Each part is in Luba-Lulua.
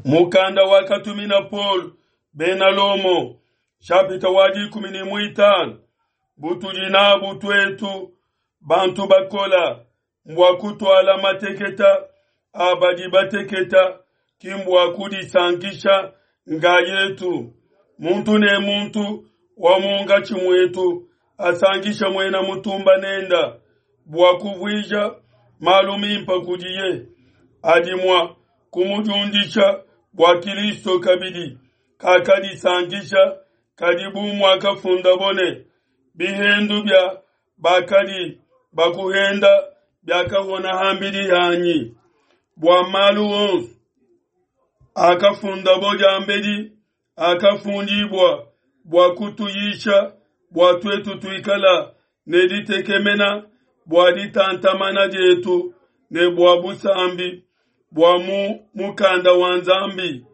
Mukanda wakatumina Paulo bena Lomo, nshapita wa 15. Butudi nabu tuetu bantu bakola mbua kutuala mateketa a badi bateketa, ki mbua kudisankisha nkayetu. Muntu ne muntu wa munkatshi muetu asankisha muena mutumba nenda bua kuvuija malu mimpe kudiye adi mua kumudiundisha bua Kilisto kabidi kakadisankisha kadi bu muakafundabo ne, Bihendu bia bakadi bakuhenda biakahona ham'bidi hanyi. Bua malu onso akafundabo diambedi akafundibua bua kutuyisha, bua tuetu tuikala ne ditekemena bua ditantamana dietu ne bua busambi bua mu mukanda wa Nzambi.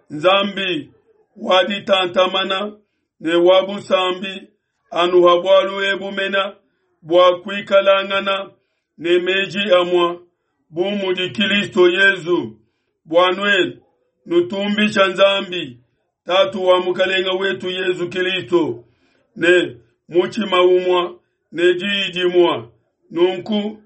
Nzambi wa ditantamana ne wa busambi anuha bualu ebu mena bua kuikalangana ne meji amua bu mudi Kilisto Yezu, bua nuenu nutumbisha Nzambi Tatu wa Mukelenge wetu Yezu Kilisto ne mutshima umua ne diyi dimua. Nunku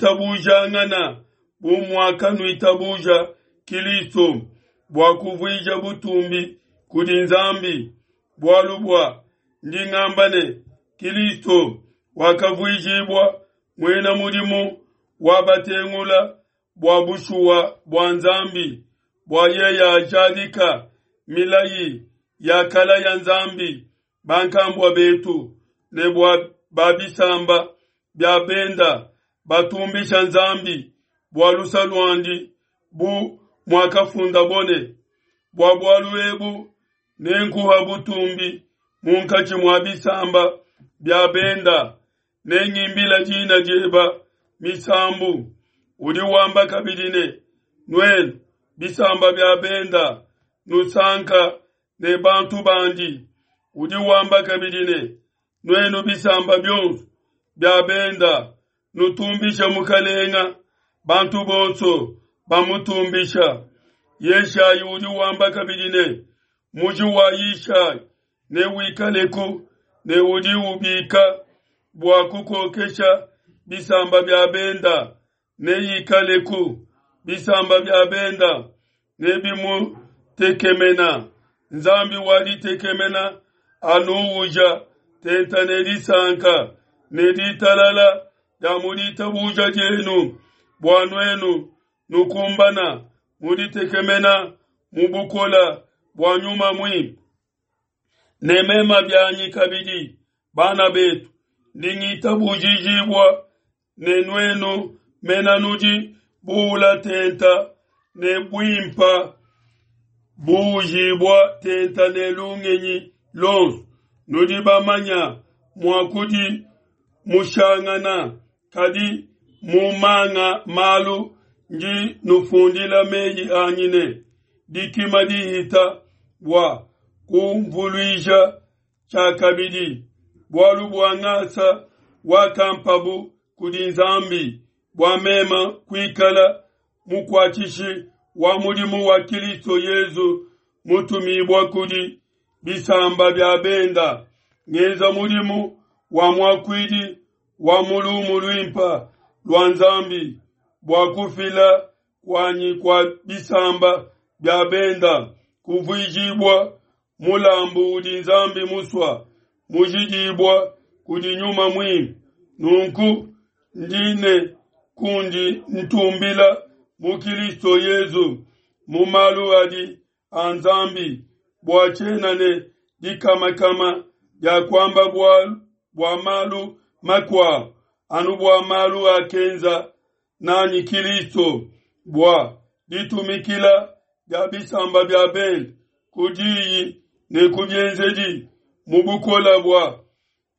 nuitabujangana bu muakanuitabuja Kilisto bua kuvuija butumbi kudi Nzambi. Bualu bua ndi ngamba ne, Kilisto wakavuijibua muena mudimu wa batengula bua bushuwa bua Nzambi, bua yeye ajadika milayi yakalaya Nzambi bankambua betu, ne bua ba bisamba bia benda batumbisha Nzambi bua lusa luandi, bu muakafundabo ne, Bua bualu ebu nenkuha butumbi munkatshi mua bisamba bia benda, nengimbila dina dieba misambu. Udi wamba kabidi ne, Nuenu bisamba bia benda, nusanka ne bantu bandi. Udi wamba kabidi ne, Nuenu bisamba bionso bia benda, nutumbishe Mukalenga, bantu bonso bamutumbisha. Yeshayi udi wamba kabidi ne, Muji wa Yishayi newikaleku, ne udi ubika bua kukokesha bisamba bia benda neikaleku, bisamba bia benda nebimutekemena. Nzambi wa ditekemena anuuja tenta ne disanka ne ditalala dia mu ditabuja dienu, bua nuenu nukumbana mu ditekemena mu bukola bua Nyuma Muimpe. Ne mema bianyi kabidi, bana betu, ndi ngitabujijibua ne nuenu mena nudi buula tenta ne buimpa, buujibua tenta ne lungenyi luonso. Nudi bamanya mua kudimushangana, kadi mu manga malu ndi nufundila meyi anyi ne dikima dihita bua kumvuluija tshiakabidi, bualu bua ngasa wakampabu kudi Nzambi bua mema kuikala mukuatshishi wa mudimu wa Kilisto Yezu mutumibua kudi bisamba bia benda, ngenza mudimu wa muakuidi wa mu lumu luimpa lua Nzambi bua kufila kuanyi kua bisamba bia benda kuvuijibua mulambu udi Nzambi musua, mujidibua kudi Nyuma Muimpe. Nunku ndi ne kundi ntumbila mu Kilisto Yezu mu malu adi a Nzambi, bua tshiena ne dikamakama dia kuamba bualu bua malu makuabu, anu bua malu akenza nanyi Kilisto bua ditumikila dia bisamba bia bende ku diyi ne ku bienzedi mu bukola bua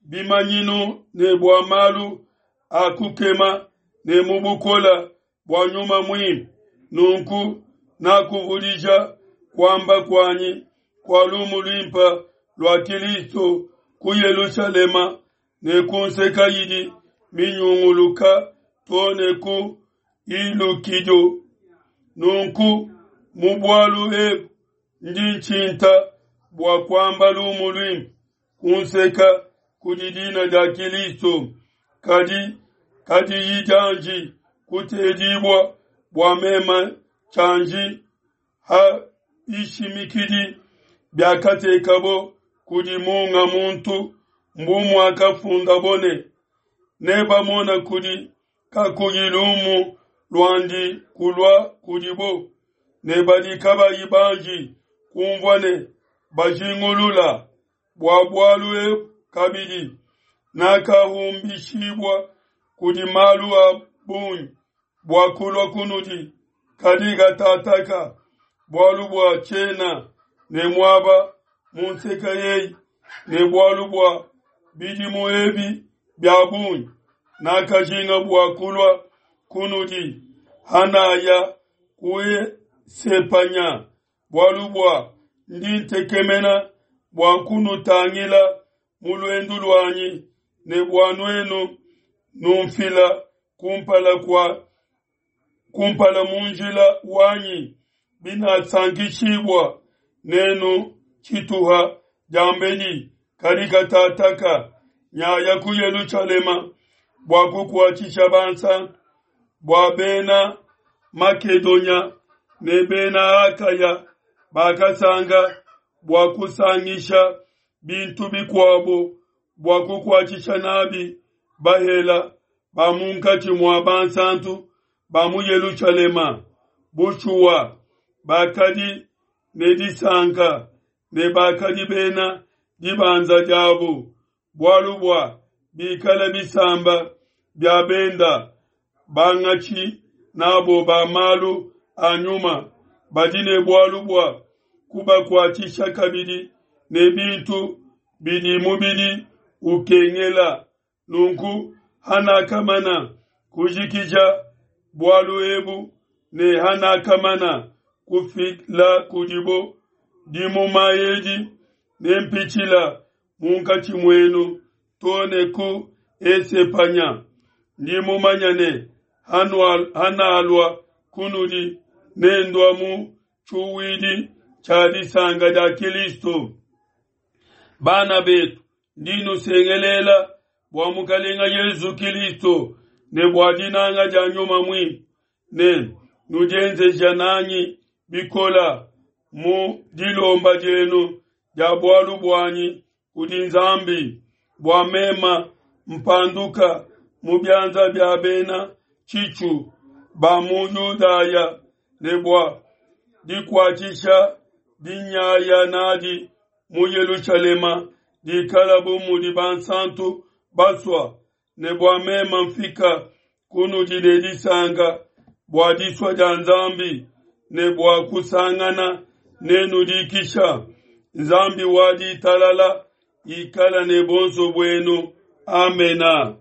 bimanyinu ne bua malu a kukema ne mu bukola bua Nyuma Muimpe. Nunku nakuvudija kuamba kuanyi kua lumu luimpe lua Kilisto ku Yelushalema ne ku nseka idi minyunguluka too ne ku Ilukido. Nunku. Mu bualu ebu ndi ntshinta bua kuamba lumu luimpe kunseka kudi dina dia Kilisto, kadi kadiyi dianji kutedibua bua meme tshianji ha bishimikidi biakatekabo kudi munga muntu, mbu muakafundabo ne, Nebamona kudi kakuyi lumu luandi kulua kudibo, ne badi kabayi banji kumvua ne bajingulula. Bua bualu ebu kabidi nakahumbishibua kudi malu a bungi bua kulua kunudi, kadi katataka, bualu bua tshiena ne muaba mu nseke eyi, ne bualu bua bidimu ebi bia bungi nakajinga bua kulua kunudi hanaya ku Esepanya, bualu bua ndi ntekemena bua kunutangila mu luendu luanyi, ne bua nuenu numfila kumpala kua kumpala mu njila wanyi, binasankishibua nenu tshituha diambedi, kadi katataka nyaya ku Yelushalema bua kukuatshisha bansanto, bua bena Makedonya ne bena Akaya bakasanga bua kusangisha bintu bikuabo bua kukuatshisha nabi bahela ba munkatshi mua bansantu ba mu Yelushalema. Bushuwa, bakadi ne disanka ne bakadi bena dibanza diabo, bualu bua bikala bisamba bia benda bangatshi nabo ba malu a nyuma badi ne bualu bua kubakuatshisha kabidi ne bintu bidi mubidi ukengela. Nunku hanakamana kujikija bualu ebu ne hanakamana kufila kudibo dimuma edi, nempitshila munkatshi muenu to ne ku Esepanya. Ndi mumanya ne hanalua kunudi, nendua mu tshiuwidi tshia disanka dia Kilisto. Bana betu, ndi nusengelela bua Mukalenga Yezu Kilisto ne bua dinanga dia Nyuma Muimpe ne nudienzeja nanyi bikola mu dilomba dienu dia bualu buanyi kudi Nzambi, bua mema mpanduka mu bianza bia bena tshitshu ba mu Yudaya ne bua dikuatshisha dinyaya nadi mu Yelushalema dikala bu mudi bansantu basua, ne bua mema mfika kunudi ne disanka bua disua dia Nzambi ne bua kusangana nenu dikisha. Nzambi wa ditalala ikala ne bonso buenu. Amena.